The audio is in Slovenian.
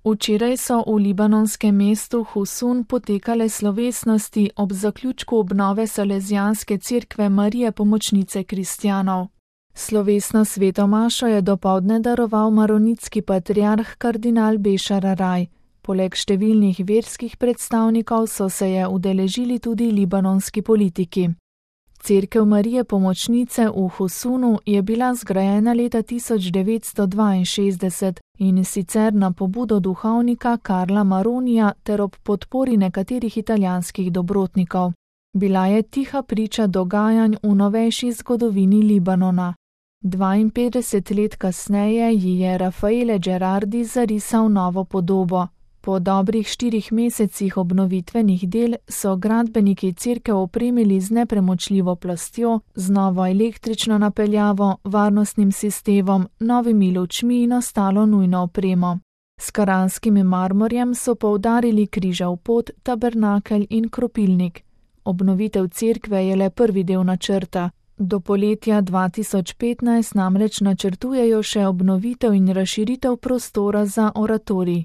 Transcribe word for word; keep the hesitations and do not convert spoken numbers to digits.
Včeraj so v libanonskem mestu Husun potekale slovesnosti ob zaključku obnove Salezijanske cerkve Marije Pomočnice kristjanov. Slovesno svetomašo je dopoldne daroval maronitski patriarh kardinal Bešar Araj. Poleg številnih verskih predstavnikov so se je udeležili tudi libanonski politiki. Cerkev Marije Pomočnice v Husunu je bila zgrajena leta tisoč devetsto dvainšestdeset in sicer na pobudo duhovnika Karla Maronija ter ob podpori nekaterih italijanskih dobrotnikov. Bila je tiha priča dogajanj v novejši zgodovini Libanona. dvainpetdeset let kasneje ji je Raffaele Gerardi zarisal novo podobo. Po dobrih štirih mesecih obnovitvenih del so gradbeniki cerkev opremili z nepremočljivo plastjo, z novo električno napeljavo, varnostnim sistemom, novimi lučmi in ostalo nujno opremo. S karanskim marmorjem so poudarili križev pot, tabernakelj in kropilnik. Obnovitev cerkve je le prvi del načrta. Do poletja dva tisoč petnajst namreč načrtujejo še obnovitev in razširitev prostora za oratorij.